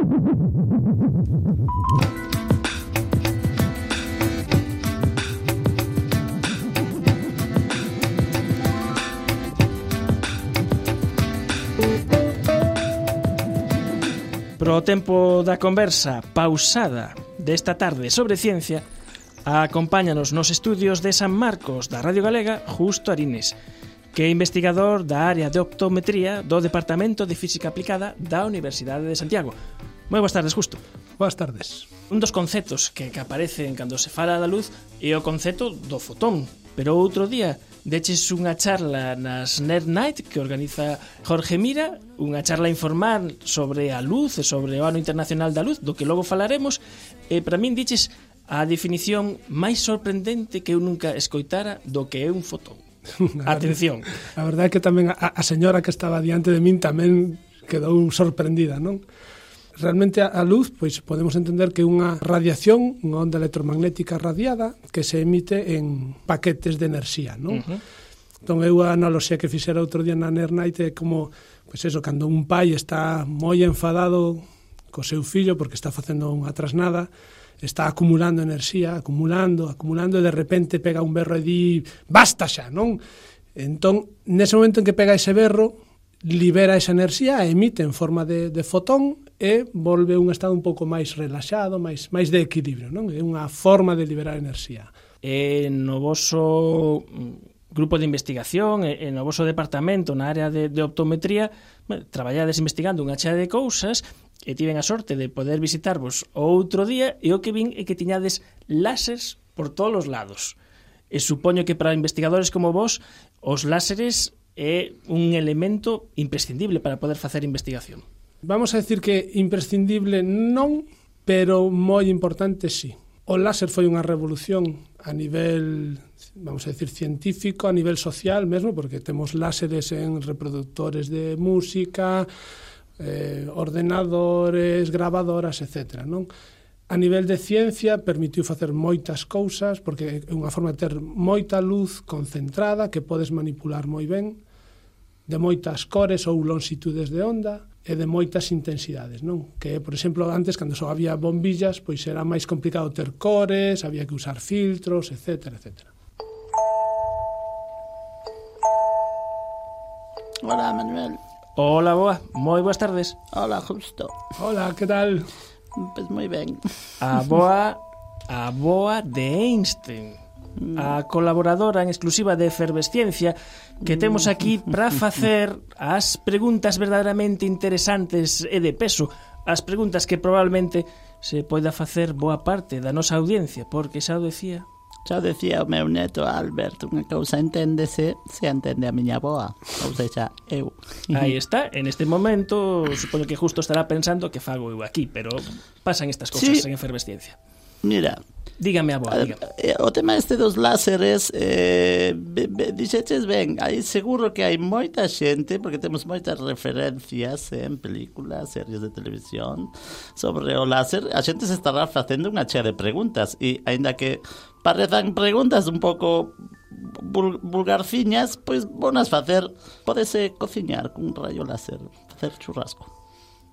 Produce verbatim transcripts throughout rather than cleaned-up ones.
Pro tempo da conversa pausada desta tarde sobre ciencia, acompáñanos nos estudios de San Marcos da Radio Galega Justo Arines, que é investigador da área de optometría do Departamento de Física Aplicada da Universidade de Santiago. Moi boas tardes, Justo. Boas tardes. Un dos conceptos que, que aparecen cando se fala da luz é o concepto do fotón, pero outro día deches unha charla nas Nerd Night que organiza Jorge Mira, unha charla informal sobre a luz e sobre o Ano Internacional da Luz, do que logo falaremos, e para min diches a definición máis sorprendente que eu nunca escoitara do que é un fotón. Atención. A verdade é que tamén a, a señora que estaba diante de min tamén quedou sorprendida, non? Realmente a luz, pois podemos entender que é unha radiación, unha onda electromagnética radiada que se emite en paquetes de enerxía, non? Uh-huh. Entón, eu a analoxía que fixera outro día na Nerd Night é como, pois eso, cando un pai está moi enfadado co seu fillo porque está facendo unha trasnada, está acumulando enerxía, acumulando, acumulando, e de repente pega un berro e di, basta xa, non? Entón, nese momento en que pega ese berro, libera esa enerxía, emite en forma de, de fotón e volve un estado un pouco máis relaxado, máis, máis de equilibrio, non? É unha forma de liberar enerxía. E no voso grupo de investigación, e no voso departamento na área de, de optometría, traballades investigando unha chea de cousas e tiven a sorte de poder visitarvos outro día e o que vin é que tiñades láseres por todos os lados. E supoño que para investigadores como vos, os láseres é un elemento imprescindible para poder facer investigación. Vamos a decir que imprescindible non, pero moi importante sí. O láser foi unha revolución a nivel, vamos a decir, científico, a nivel social mesmo, porque temos láseres en reproductores de música, eh, ordenadores, gravadoras, etcétera, non? A nivel de ciencia permitiu facer moitas cousas, porque é unha forma de ter moita luz concentrada que podes manipular moi ben, de moitas cores ou longitudes de onda e de moitas intensidades, non? Que, por exemplo, antes, cando só había bombillas, pois era máis complicado ter cores, había que usar filtros, etcétera, etcétera. Hola, Manuel. Hola, boa. Moi boas tardes. Hola, Justo. Hola, que tal? Pois moi ben. A boa, a boa de Einstein, a colaboradora en exclusiva de Efervesciencia que temos aquí para facer as preguntas verdadeiramente interesantes e de peso, as preguntas que probablemente se poida facer boa parte da nosa audiencia, porque xa o decía xa o decía o meu neto Albert, unha cousa enténdese se entende a miña boa, ou seja, eu. Aí está, en este momento supoño que Justo estará pensando que fago eu aquí, pero pasan estas cousas sí. En Efervesciencia. Mira, dígame a boa, dígame. O tema este dos láseres, eh, dixeches ben, aí seguro que hai moita xente, porque temos moitas referencias en películas, series de televisión sobre o láser, a xente se estará facendo unha chea de preguntas, e aínda que parezan preguntas un pouco vul, vulgarciñas, pois bonas facer, pódese cociñar cun rayo láser, facer churrasco.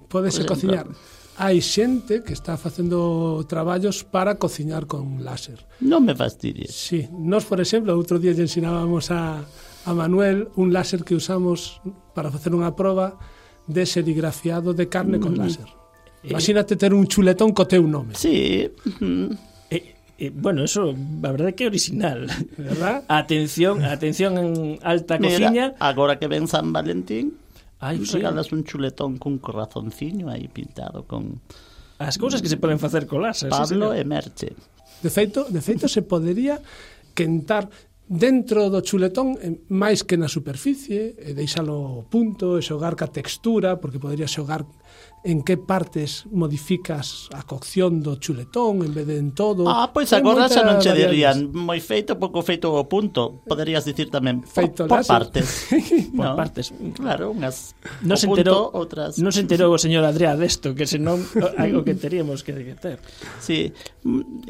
Pódese cociñar. Hai xente que está facendo traballos para cociñar con láser. Non me fastidies. Sí, nós, por exemplo, outro día lle ensinábamos a, a Manuel un láser que usamos para facer unha proba de serigrafiado de carne mm. con láser. Eh. Imagínate ter un chuletón co teu nome. Sí. Mm. Eh, eh, bueno, eso, a verdade que é original. ¿Verdad? Atención, atención en alta Mira, cociña. Agora que ven San Valentín, Ay, regalas sí. un chuletón cun corazonciño aí pintado con as cousas que se poden facer con láser. Pablo sí, e Merche. De feito, de feito se podería quentar dentro do chuletón máis que na superficie, e deixalo punto, e xogar ca textura, porque podría xogar en que partes modificas a cocción do chuletón en vez de en todo. Ah, pois agora xa non che dirían moi feito, pouco feito o punto. Poderías dicir tamén feito por, por partes. Por no? partes. Claro, unhas non se enterou, punto, outras. Non se enterou o señor Adrià desto, que senón algo que teríamos que ter. Sí,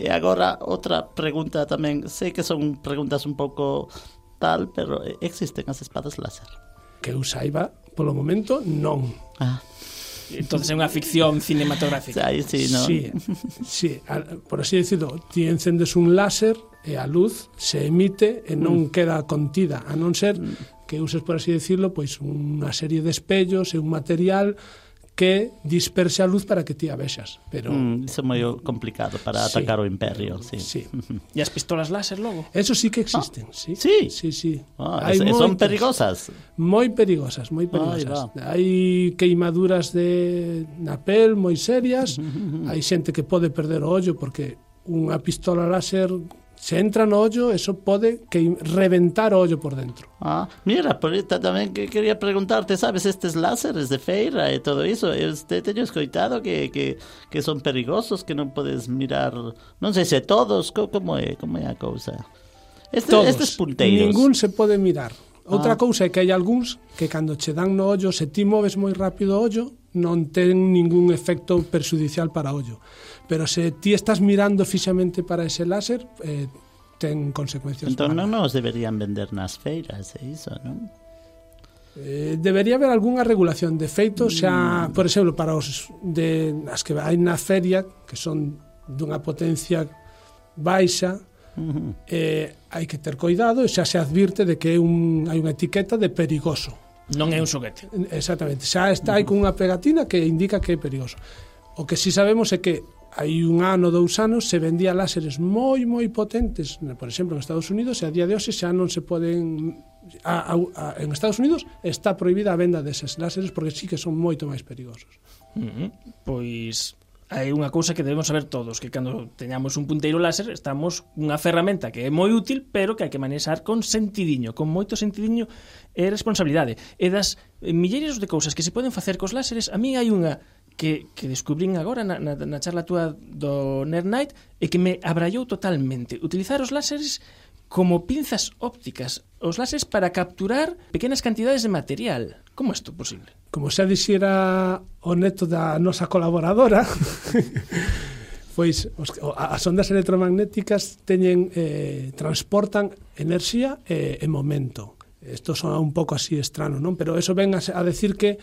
e agora outra pregunta tamén. Sei que son preguntas un pouco tal, pero existen as espadas láser? Que eu saiba, polo momento, non. Ah. entonces é unha ficción cinematográfica. Aí sí, non? Sí, sí, por así decirlo, ti encendes un láser e a luz se emite e non mm. queda contida, a non ser que uses, por así decirlo, pois unha serie de espellos e un material que disperse a luz para que ti a vexas. Pero mm, iso é moi complicado para sí. atacar o imperio, sí. Sí. E as pistolas láser logo? Eso sí que existen, ah, sí. Sí. Sí, sí. Ah, es, son perigosas. Moi perigosas, moi perigosas. Hai queimaduras de na pel moi serias. Hai xente que pode perder o ollo porque unha pistola láser se entra no ollo, eso pode que reventar o ollo por dentro. Ah, mira, por esta tamén que quería preguntarte, sabes, estes láseres de feira e todo iso, este teño escoitado que, que, que son perigosos, que non podes mirar, non sei se todos, como é, como é a cousa? Este, todos, estes punteiros. Ningún se pode mirar. Outra ah. cousa é que hai algúns que cando che dan no ollo, se ti moves moi rápido o ollo, non ten ningún efecto perxudicial para o ollo. Pero se ti estás mirando fixamente para ese láser, eh, ten consecuencias. Entón non nos deberían vender nas feiras, é iso, non? Eh, debería haber algunha regulación. De feito, xa, mm. por exemplo, para os de as que hai na feria, que son dunha potencia baixa, uh-huh. eh, hai que ter cuidado e xa se advirte de que é un, hai unha etiqueta de perigoso. Non é un xoguete. Exactamente, xa está aí con unha pegatina que indica que é perigoso. O que si sabemos é que hai un ano, dous anos, se vendía láseres moi, moi potentes, por exemplo, en Estados Unidos, e a día de hoxe xa non se poden... A, a, a, en Estados Unidos está prohibida a venda deses láseres porque sí que son moito máis perigosos. Uh-huh. Pois hai unha cousa que debemos saber todos, que cando teñamos un punteiro láser estamos unha ferramenta que é moi útil, pero que hai que manexar con sentidiño, con moito sentidiño e responsabilidade. E das milleiros de cousas que se poden facer cos láseres, a mí hai unha que, que descubrín agora na, na, na charla túa do Nerd Night e que me abrallou totalmente. Utilizar os láseres como pinzas ópticas, os láseres para capturar pequenas cantidades de material. Como é isto posible? Como xa dixera o neto da nosa colaboradora, pois os, as ondas electromagnéticas teñen, eh, transportan enerxía e, e momento. Isto son un pouco así estrano, non? Pero eso ven a, a decir que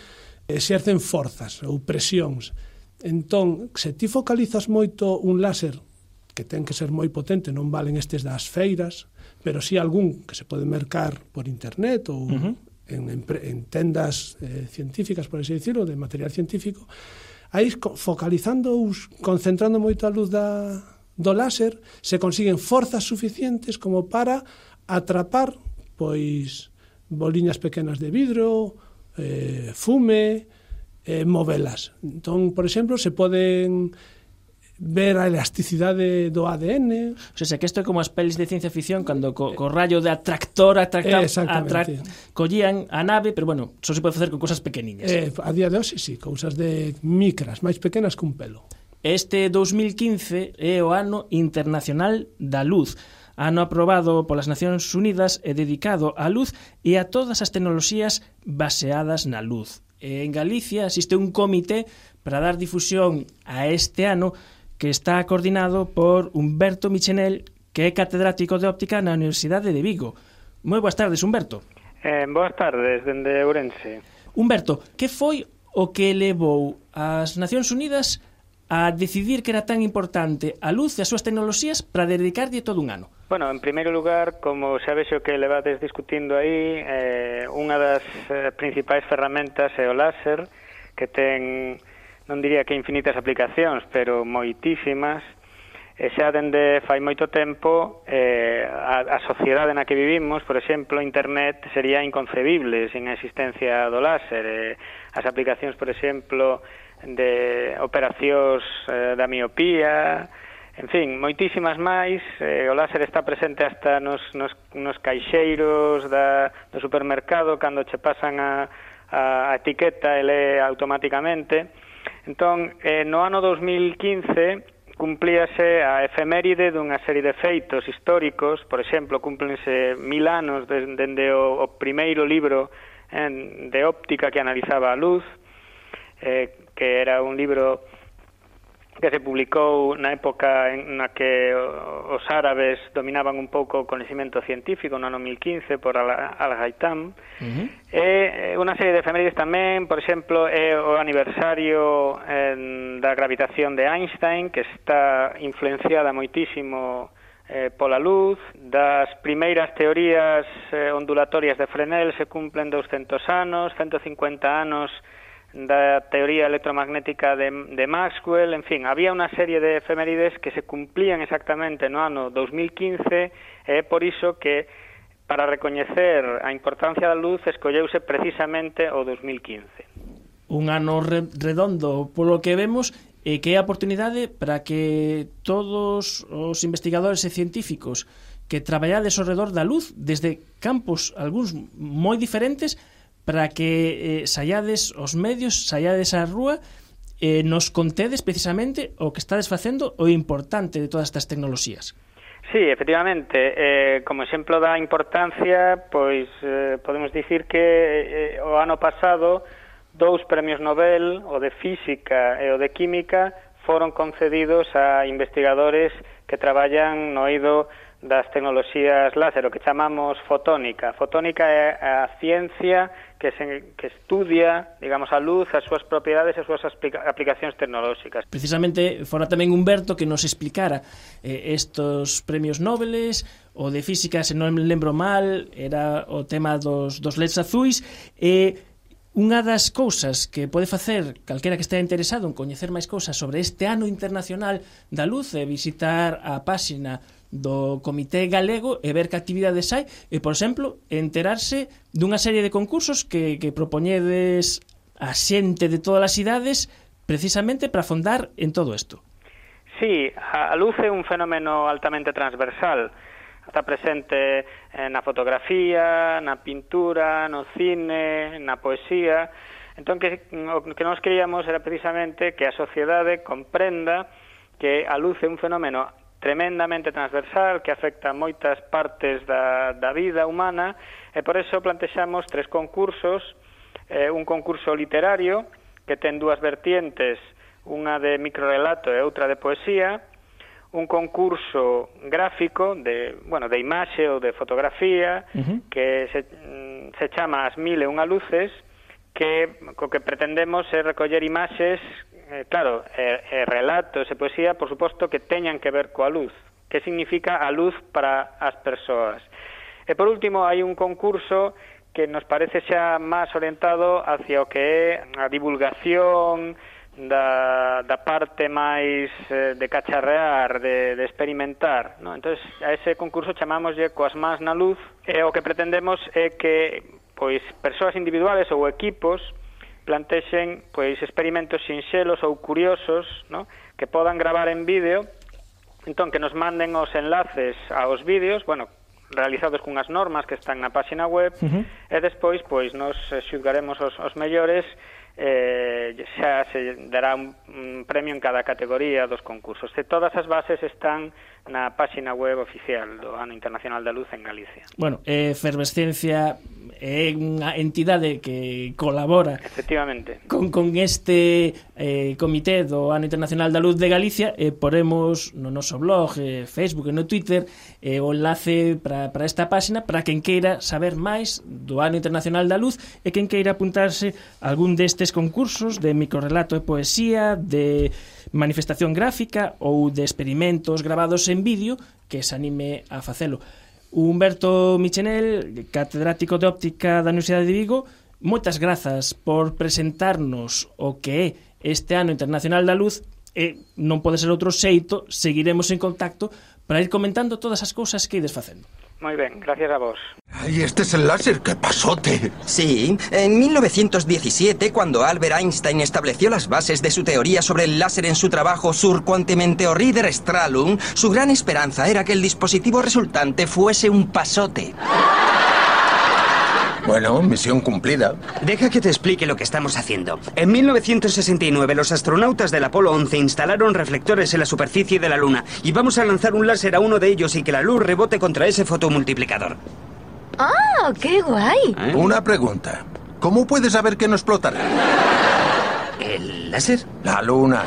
exercen forzas ou presións. Entón, se ti focalizas moito un láser, que ten que ser moi potente, non valen estes das feiras, pero si sí algún que se pode mercar por internet ou uh-huh. en, en, en tendas eh, científicas, por así decirlo, de material científico, aí focalizando, concentrando moito a luz da, do láser, se consiguen forzas suficientes como para atrapar pois boliñas pequenas de vidro, eh, fume, eh, movelas. Entón, por exemplo, se poden ver a elasticidade do A D N. O sea, que isto é como as pelis de ciencia ficción cando co, co rayo de atractor atracta, atrac, collían a nave, pero bueno, só se pode facer con cosas pequeniñas. Eh, a día de hoxe, sí, cousas de micras, máis pequenas que un pelo. Este dos mil quince é o ano internacional da luz, ano aprobado polas Nacións Unidas e dedicado á luz e a todas as tecnoloxías baseadas na luz. E en Galicia existe un comité para dar difusión a este ano que está coordinado por Humberto Michenel, que é catedrático de óptica na Universidade de Vigo. Moi boas tardes, Humberto. Eh, boas tardes, dende Ourense. Humberto, que foi o que levou as Nacións Unidas a decidir que era tan importante a luz e as súas tecnoloxías para dedicarlle todo un ano? Bueno, en primeiro lugar, como xa vexo que levades discutindo aí, eh, unha das eh, principais ferramentas é o láser, que ten, non diría que infinitas aplicacións, pero moitísimas, e xa dende fai moito tempo eh, a, a sociedade na que vivimos, por exemplo, internet sería inconcebible sin a existencia do láser. Eh, as aplicacións, por exemplo, de operacións eh, da miopía, en fin, moitísimas máis. Eh, o láser está presente hasta nos, nos, nos caixeiros da, do supermercado, cando che pasan a, a etiqueta e lee automáticamente. Entón, eh, no ano dos mil quince cumplíase a efeméride dunha serie de feitos históricos. Por exemplo, cúmplense mil anos dende de, de o, o primeiro libro eh, de óptica que analizaba a luz, eh, que era un libro que se publicou na época en na que os árabes dominaban un pouco o coñecemento científico no ano mil quince por Al-Haytham. Uh-huh. E unha serie de efemérides tamén, por exemplo, é o aniversario eh, da gravitación de Einstein, que está influenciada moitísimo eh, pola luz. Das primeiras teorías eh, ondulatorias de Fresnel se cumplen doscientos anos, ciento cincuenta anos da teoría electromagnética de, de Maxwell. En fin, había unha serie de efemérides que se cumplían exactamente no ano dos mil quince, e é por iso que para recoñecer a importancia da luz escolleuse precisamente o dos mil quince. Un ano re redondo polo que vemos, e que é a oportunidade para que todos os investigadores e científicos que traballades ao redor da luz desde campos algúns moi diferentes, para que eh, saiades os medios, saiades á rúa, eh, nos contedes precisamente o que estades facendo, o importante de todas estas tecnoloxías. Sí, efectivamente, eh, como exemplo da importancia, pois eh, podemos dicir que eh, o ano pasado dous premios Nobel, o de Física e o de Química, foron concedidos a investigadores que traballan no eido das tecnoloxías láser, o que chamamos fotónica. Fotónica é a ciencia que, se, que estudia, digamos, a luz, as súas propiedades e as súas aplicacións tecnolóxicas. Precisamente, fora tamén Humberto que nos explicara eh, estos premios Nobeles, o de Física, se non me lembro mal, era o tema dos, dos L E Ds azuis, e unha das cousas que pode facer calquera que estea interesado en coñecer máis cousas sobre este ano internacional da luz é visitar a páxina do Comité Galego e ver que actividades hai e, por exemplo, enterarse dunha serie de concursos que, que propoñedes a xente de todas as idades precisamente para afondar en todo isto. Sí, a luz é un fenómeno altamente transversal. Está presente na fotografía, na pintura, no cine, na poesía. Entón, que, o que nós queríamos era precisamente que a sociedade comprenda que a luz é un fenómeno tremendamente transversal que afecta a moitas partes da, da vida humana, e por eso plantexamos tres concursos, eh, un concurso literario que ten dúas vertientes, unha de microrelato e outra de poesía, un concurso gráfico de, bueno, de imaxe ou de fotografía, uh-huh. que se, se chama As mil e unha luces, que co que pretendemos é recoller imaxes, eh, claro, e, e relatos e poesía, por suposto, que teñan que ver coa luz. Que significa a luz para as persoas. E por último, hai un concurso que nos parece xa máis orientado hacia o que é a divulgación da, da parte máis eh, de cacharrear, de, de experimentar, ¿no? Entonces, a ese concurso chamámoslle Coas mans na luz, e o que pretendemos é que pois persoas individuales ou equipos plantexen pois experimentos sinxelos ou curiosos, ¿no?, que podan gravar en vídeo, entón que nos manden os enlaces aos vídeos, bueno, realizados cunhas normas que están na páxina web, uh-huh. e despois pois nos xulgaremos os, os mellores, eh, xa se dará un, un premio en cada categoría dos concursos. E todas as bases están na páxina web oficial do Ano Internacional da Luz en Galicia. Bueno, eh, Efervesciencia é unha entidade que colabora efectivamente con, con este eh, comité do Ano Internacional da Luz de Galicia, e poremos no noso blog, eh, Facebook e no Twitter eh, o enlace para, para esta páxina para quen queira saber máis do Ano Internacional da Luz e quen queira apuntarse a algún destes concursos de microrelato e poesía, de manifestación gráfica ou de experimentos grabados en vídeo, que se anime a facelo. Humberto Michenel, catedrático de óptica da Universidade de Vigo, moitas grazas por presentarnos o que é este Ano Internacional da Luz, e non pode ser outro xeito, seguiremos en contacto para ir comentando todas as cousas que ides facendo. Muy bien, gracias a vos. ¡Ay, este es el láser! ¡Qué pasote! Sí, en mil novecientos diecisiete, cuando Albert Einstein estableció las bases de su teoría sobre el láser en su trabajo Sur Quantimeteorrider Strahlung, su gran esperanza era que el dispositivo resultante fuese un pasote. Bueno, misión cumplida. Deja que te explique lo que estamos haciendo. En mil novecientos sesenta y nueve, los astronautas del Apolo once instalaron reflectores en la superficie de la Luna y vamos a lanzar un láser a uno de ellos y que la luz rebote contra ese fotomultiplicador. ¡Ah, qué guay! ¿Eh? Una pregunta. ¿Cómo puedes saber que no explotará? ¿El láser? La Luna.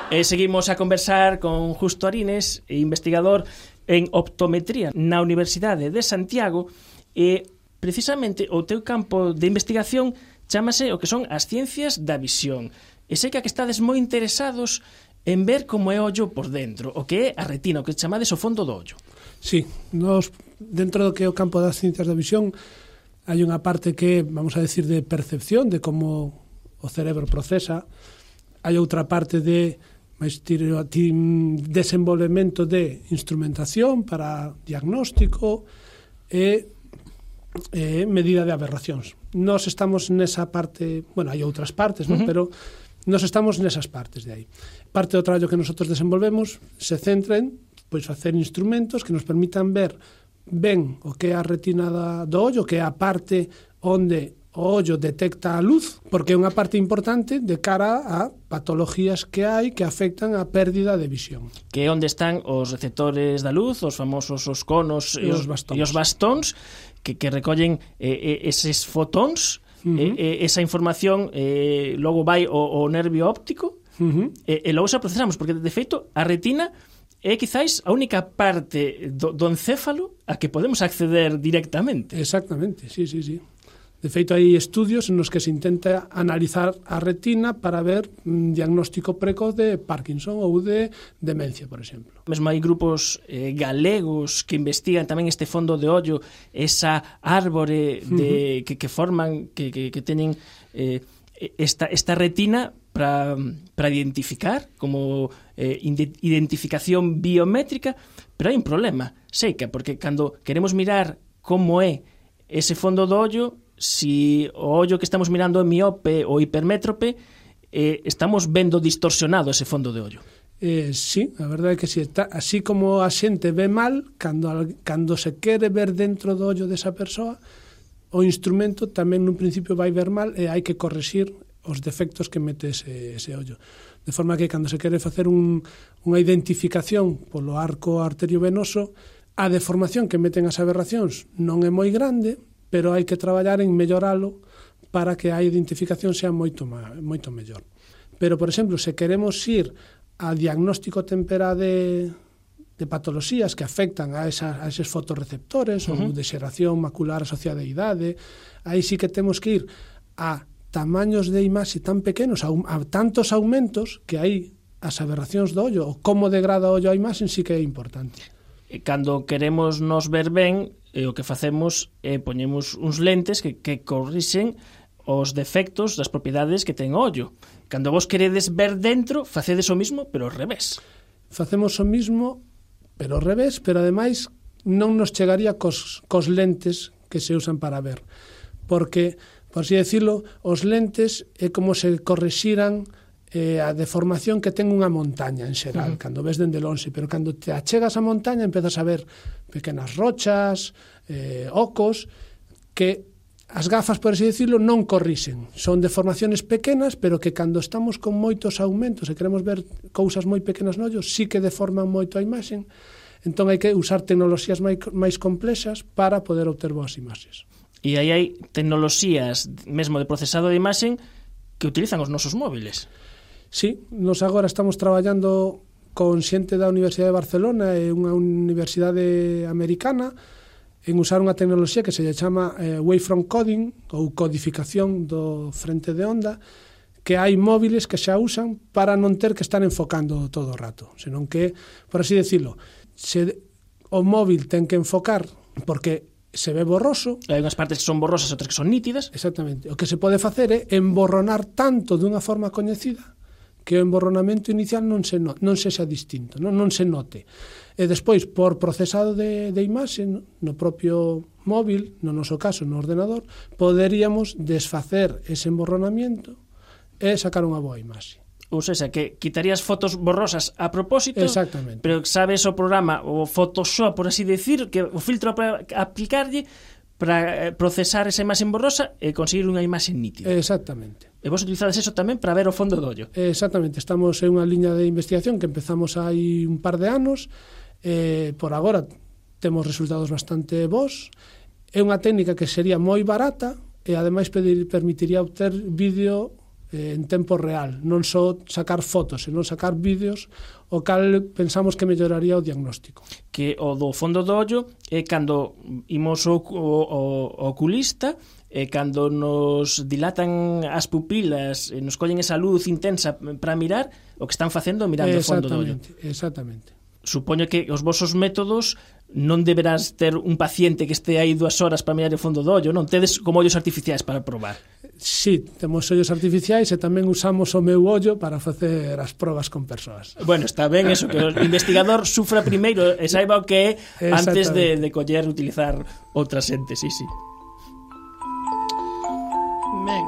E seguimos a conversar con Justo Arines, investigador en optometría na Universidade de Santiago, e precisamente o teu campo de investigación chámase o que son as ciencias da visión. E sei que que estades moi interesados en ver como é o ollo por dentro, o que é a retina, o que chamades o fondo do ollo. Sí, nos, dentro do que é o campo das ciencias da visión hai unha parte que, vamos a decir, de percepción, de como o cerebro procesa, hai outra parte de máis desenvolvemento de instrumentación para diagnóstico e, e medida de aberracións. Nós estamos nesa parte, bueno, hai outras partes, ¿no? Uh-huh. Pero nós estamos nesas partes de aí. Parte do traballo que nosotros desenvolvemos se centra en pois, facer instrumentos que nos permitan ver ben o que é a retina da, do ollo, que é a parte onde o ollo detecta a luz, porque é unha parte importante de cara a patologías que hai que afectan a pérdida de visión. Que é onde están os receptores da luz, os famosos os conos e os, e os bastóns, que, que recollen eh, eses fotóns, uh-huh. eh, esa información eh, logo vai ao, ao nervio óptico, uh-huh. e, e logo se procesamos, porque de feito a retina é quizáis a única parte do, do encéfalo a que podemos acceder directamente. Exactamente, sí, sí, sí. De feito, hai estudios nos que se intenta analizar a retina para ver un diagnóstico precoz de Parkinson ou de demencia, por exemplo. Mesmo hai grupos eh, galegos que investigan tamén este fondo de ollo, esa árbore de, uh-huh. que, que forman, que, que, que teñen eh, esta, esta retina para para identificar como eh, identificación biométrica, pero hai un problema, seica, porque cando queremos mirar como é ese fondo do ollo, si o ollo que estamos mirando é miope ou hipermétrope, eh, estamos vendo distorsionado ese fondo de ollo. Eh, sí, a verdade é que sí, está, así como a xente ve mal, cando, cando se quere ver dentro do ollo desa persoa, o instrumento tamén nun principio vai ver mal e hai que correxir os defectos que mete ese, ese ollo. De forma que cando se quere facer un, unha identificación polo arco arteriovenoso, a deformación que meten as aberracións non é moi grande, pero hai que traballar en melloralo para que a identificación sea moito, moito mellor. Pero, por exemplo, se queremos ir a diagnóstico temperá de, de patoloxías que afectan a, esa, a eses fotorreceptores, uh-huh. ou de xeración macular asociada a idade, aí sí que temos que ir a tamaños de imaxe tan pequenos, a, a tantos aumentos, que aí as aberracións do ollo, ou como degrada o ollo a imaxe, sí que é importante. Cando queremos nos ver ben, e o que facemos é poñemos uns lentes que, que corrixen os defectos das propiedades que ten o ollo. Cando vos queredes ver dentro, facedes o mismo, pero ao revés. Facemos o mismo, pero ao revés, pero ademais non nos chegaría cos, cos lentes que se usan para ver. Porque, por así decirlo, os lentes é como se correxiran eh, a deformación que ten unha montaña en xeral, uh-huh. cando ves dende lonxe, pero cando te achegas a montaña empezas a ver pequenas rochas, eh, ocos, que as gafas, por así decirlo, non corrixen. Son deformaciones pequenas, pero que cando estamos con moitos aumentos e queremos ver cousas moi pequenas no ollo, sí que deforman moito a imaxen. Entón hai que usar tecnoloxías máis, máis complexas para poder obter boas imaxes. E aí hai tecnoloxías mesmo de procesado de imaxen que utilizan os nosos móviles. Sí, nos agora estamos traballando con xente da Universidade de Barcelona e unha universidade americana en usar unha tecnoloxía que se lle chama eh, wavefront coding ou codificación do frente de onda, que hai móviles que xa usan para non ter que estar enfocando todo o rato, senón que, por así decirlo, se o móvil ten que enfocar porque se ve borroso. Hai unhas partes que son borrosas, outras que son nítidas. Exactamente. O que se pode facer é emborronar tanto dunha forma coñecida que o emborronamento inicial non se no, non sexa distinto, non, non se note. E despois, por procesado de, de imaxe no propio móvil, no noso caso, no ordenador, poderíamos desfacer ese emborronamiento e sacar unha boa imaxe. Ou seja, que quitarías fotos borrosas a propósito, exactamente, pero sabes o programa, o Photoshop, por así decir, que o filtro para aplicarlle para procesar esa imaxe borrosa e conseguir unha imaxe nítida. Exactamente. E vos utilizades eso tamén para ver o fondo do ollo. Exactamente, estamos en unha liña de investigación que empezamos hai un par de anos, eh, por agora temos resultados bastante bons, é unha técnica que sería moi barata e ademais permitiría obter vídeo eh, en tempo real, non só sacar fotos, senón sacar vídeos, o cal pensamos que melloraría o diagnóstico. Que o do fondo do ollo é cando imos o, o, o oculista, e cando nos dilatan as pupilas e nos collen esa luz intensa para mirar, o que están facendo mirando o fondo do ollo. Exactamente. Supoño que os vosos métodos non deberás ter un paciente que este aí dúas horas para mirar o fondo do ollo, non? Tedes como ollos artificiais para probar. Sí, temos ollos artificiais e tamén usamos o meu ollo para facer as probas con persoas. Bueno, está ben eso, que o investigador sufra primeiro e saiba o que é antes de, de coller utilizar outra xente, sí, sí. Ben,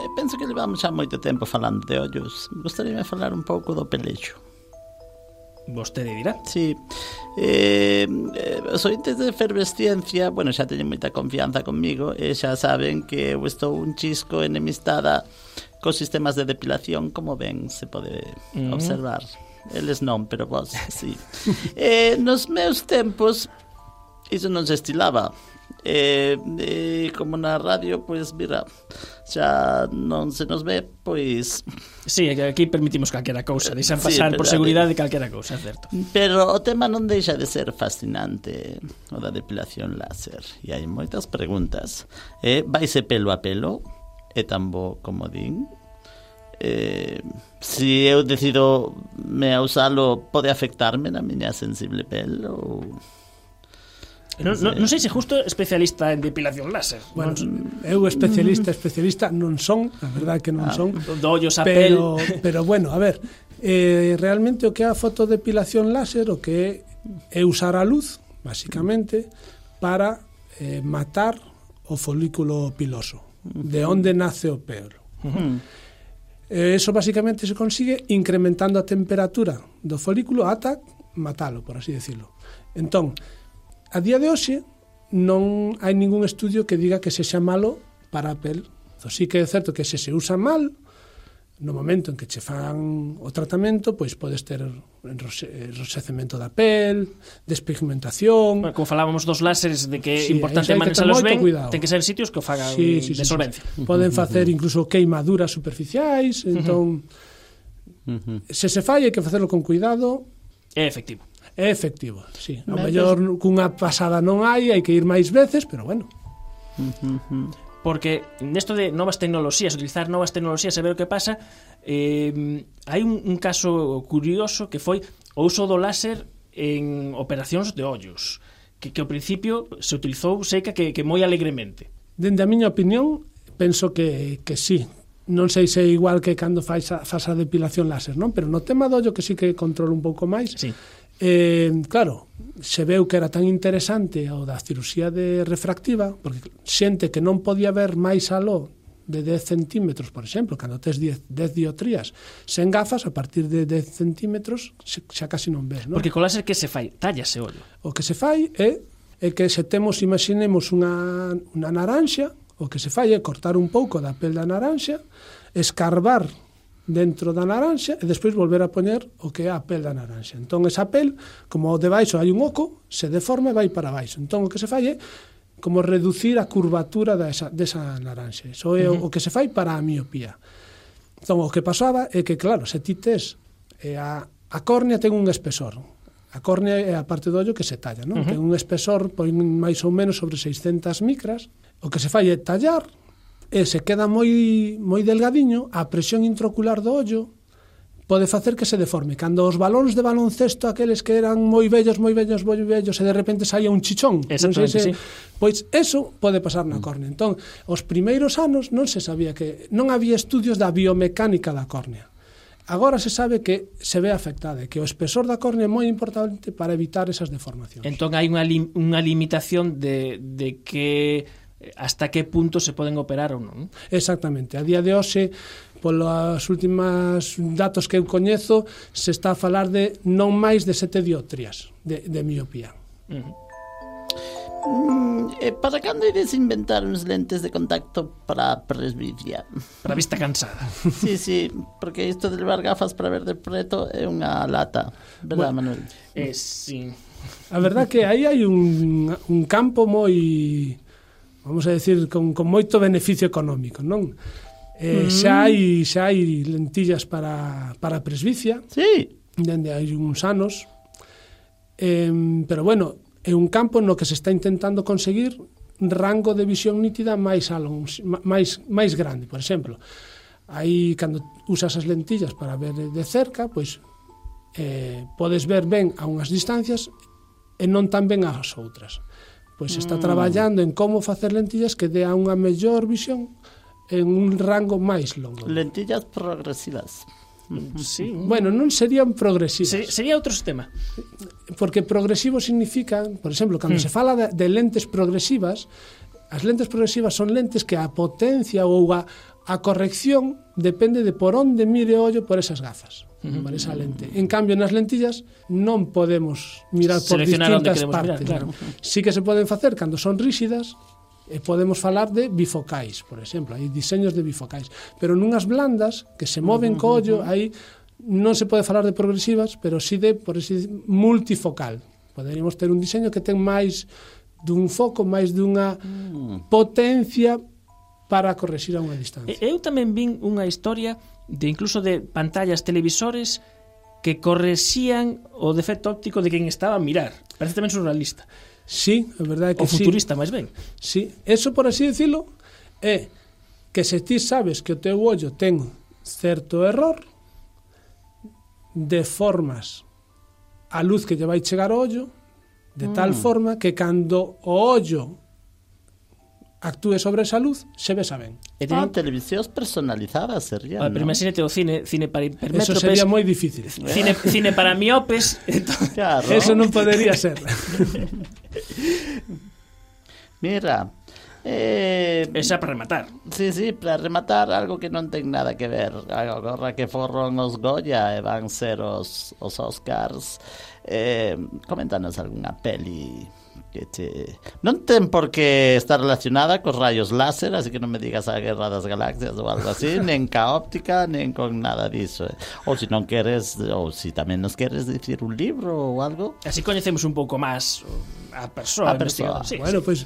eh, penso que levamos xa moito tempo falando de ollos. Gostaríame falar un pouco do pelexo. Vostede dirá. Sí. Eh, eh, os ointes de Efervesciencia, bueno, xa teñen moita confianza comigo e xa saben que eu estou un chisco enemistada cos sistemas de depilación, como ben se pode mm. observar. Eles non, pero vos, sí. eh, nos meus tempos iso non se estilaba. Eh, eh, como na radio, pois, mira, xa non se nos ve, pois... Sí, aquí permitimos calquera cousa, deixan pasar sí, por seguridade calquera cousa, certo. Pero o tema non deixa de ser fascinante, o da depilación láser. E hai moitas preguntas. Eh, vaise pelo a pelo? É tan bo como din? Eh, si eu decido me a usalo, pode afectarme na miña sensible pel ou... Non, non, non sei se justo especialista en depilación láser. Bueno, non... eu especialista, especialista non son, a verdade que non ah, son. Do ollos a pero, pel. Pero bueno, a ver, eh, realmente o que é a fotodepilación láser, o que é usar a luz, basicamente, para eh, matar o folículo piloso, de onde nace o pelo. Uh-huh. Eh, eso basicamente se consigue incrementando a temperatura do folículo ata matalo, por así decirlo. Entón, a día de hoxe non hai ningún estudio que diga que sexa malo para a pel. Entón, sí que é certo que se se usa mal, no momento en que che fan o tratamento, pois podes ter enroxecemento da pel, despigmentación... Bueno, como falábamos dos láseres, de que é sí, importante manejalos ben, ten que ser en sitios que o fagan sí, sí, de sí, solvencia. Sí. Poden facer incluso queimaduras superficiais, entón... Uh-huh. Se se falla, hai que facerlo con cuidado. É efectivo. É efectivo, sí. A mellor cunha pasada non hai, hai que ir máis veces, pero bueno. Porque nesto de novas tecnoloxías, utilizar novas tecnoloxías e ver o que pasa, eh, hai un, un caso curioso que foi o uso do láser en operacións de ollos, que, que ao principio se utilizou, seica, que, que moi alegremente. Dende a miña opinión, penso que, que sí. Non sei se é igual que cando faz a, faz a depilación láser, non? Pero no tema do ollo que sí que controlo un pouco máis. Sí. Eh, claro, se veu que era tan interesante o da cirurxía de refractiva, porque xente que non podía ver máis aló de dez centímetros, por exemplo, cando tes dez dioptrías sen gafas, a partir de dez centímetros xa casi non ves, non? Porque co láser que se fai? Tállase o ollo. O que se fai é, é que se temos, imaginemos unha, unha naranxa, o que se fai é cortar un pouco da pel da naranxa, escarbar dentro da naranxa e despois volver a poñer o que é a pel da naranxa. Entón, esa pel, como de baixo hai un oco, se deforma e vai para baixo. Entón, o que se fai é como reducir a curvatura desa, desa naranxa. Iso é uh-huh. o que se fai para a miopía. Entón, o que pasaba é que, claro, se ti tes eh, a, a córnea ten un espesor. A córnea é a parte do ollo que se talla, non? Uh-huh. Ten un espesor pois, máis ou menos sobre seiscentas micras. O que se fai é tallar e se queda moi moi delgadiño, a presión intraocular do ollo pode facer que se deforme. Cando os balóns de baloncesto, aqueles que eran moi vellos, moi vellos, moi vellos, e de repente saía un chichón, non sei se, sí. Pois eso pode pasar na córnea. Entón, os primeiros anos non se sabía que non había estudios da biomecánica da córnea. Agora se sabe que se ve afectada, que o espesor da córnea é moi importante para evitar esas deformacións. Entón hai unha, lim, unha limitación de, de que hasta que punto se poden operar ou non. Exactamente. A día de hoxe, polos últimos datos que eu coñezo, se está a falar de non máis de sete dioptrías de, de miopía. Uh-huh. Mm, eh, para cando ides inventar uns lentes de contacto para a presbicia? Para a vista cansada. Sí, sí, porque isto de levar gafas para ver de preto é unha lata, verdad, bueno, Manuel? Eh, sí. A verdad que aí hai un, un campo moi, vamos a decir, con, con moito beneficio económico, non? Eh, Mm. xa hai xa hai lentillas para, para presbicia. Sí. Dende hai uns anos. Eh, pero bueno, é un campo no que se está intentando conseguir rango de visión nítida máis alón, máis máis grande, por exemplo. Aí cando usas as lentillas para ver de cerca, pois eh, podes ver ben a unhas distancias e non tan ben ás outras. Pois está Mm. traballando en como facer lentillas que dea unha mellor visión en un rango máis longo. Lentillas progresivas. Sí. Bueno, non serían progresivas. Se, sería outro sistema. Porque progresivo significa, por exemplo, cando Hmm. se fala de, de lentes progresivas, as lentes progresivas son lentes que a potencia ou a, a corrección depende de por onde mire o ollo por esas gafas, Uh-huh. por esa lente. En cambio, nas lentillas non podemos mirar por Seleccionar onde distintas queremos mirar, partes. claro. Sí que se poden facer cando son rígidas, e podemos falar de bifocais, por exemplo, hai diseños de bifocais, pero nunhas blandas que se moven co ollo, aí non se pode falar de progresivas, pero sí de, por así, multifocal. Poderíamos ter un diseño que ten máis dun foco, máis dunha potencia para correxir a unha distancia. E- Eu tamén vin unha historia de incluso de pantallas televisores que correxían o defecto óptico de quen estaba a mirar. Parece tamén surrealista. Sí, é verdade que O futurista, máis ben. Sí, eso por así decirlo é que se ti sabes que o teu ollo ten certo error, deformas a luz que lle vai chegar ao ollo de tal Mm. forma que cando o ollo actúe sobre esa luz, se vesa ben. E Ah, teñen... televisións personalizadas serían, Ah, pero ¿no? imagínate o cine, cine para Eso hipermétropes, sería moi difícil. cine, cine para miopes. Entón... Claro. Eso non podería ser. Mira, eh, Esa para rematar. sí, sí, para rematar algo que non ten nada que ver. Agora que foron os Goya e van ser os, os Oscars, eh, coméntanos algunha peli que te... Non ten por que estar relacionada cos rayos láser, así que non me digas a Guerra das Galaxias ou algo así, nen ca óptica, nen con nada diso. Ou se non queres, ou se tamén nos queres dicir un libro ou algo. Así coñecemos un pouco máis a persoa. A persoa. investigadora. Sí, Bueno, sí. pois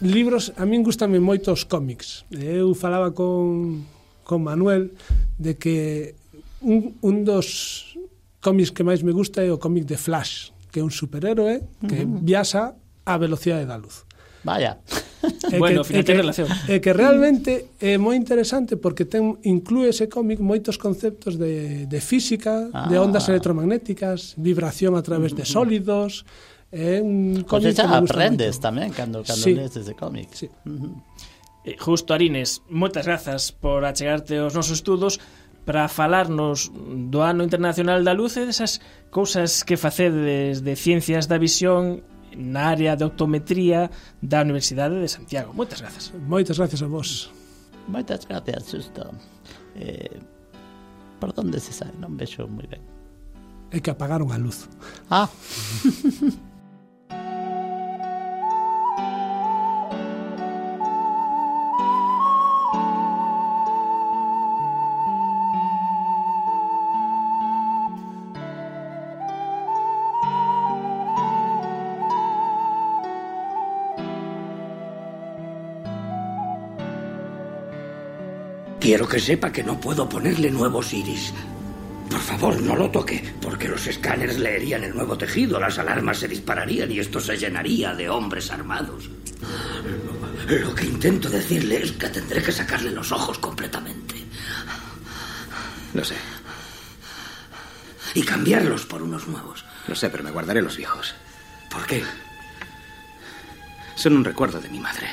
libros, a min gustan moito os cómics. Eu falaba con, con Manuel de que un, un dos cómics que máis me gusta é o cómic de Flash, que é un superhéroe que Uh-huh. viaxa á velocidade da luz. Vaya. E Bueno, que, ao final e que, ten relación. E que realmente é moi interesante porque ten inclúe ese cómic moitos conceptos de, de física, Ah. de ondas electromagnéticas, vibración a través de sólidos. É un Pois cómic que xa me gusta aprendes moito. tamén cando, cando Sí. lees ese cómic. Sí. Uh-huh. Eh, Justo, Arines, moitas grazas por achegarte aos nosos estudos para falarnos do Ano Internacional da Luz e desas cousas que facedes de ciencias da visión na área de optometría da Universidade de Santiago. Moitas grazas. Moitas gracias a vos. Moitas gracias, xusto. Eh, por onde se sabe? Non vexo moi ben. É que apagaron a luz. Ah. Quiero que sepa que no puedo ponerle nuevos iris. Por favor, no lo toque, porque los escáneres leerían el nuevo tejido, las alarmas se dispararían y esto se llenaría de hombres armados. Lo que intento decirle es que tendré que sacarle los ojos completamente. Lo sé, Y cambiarlos por unos nuevos. lo sé, pero me guardaré los viejos. ¿Por qué? Son un recuerdo de mi madre.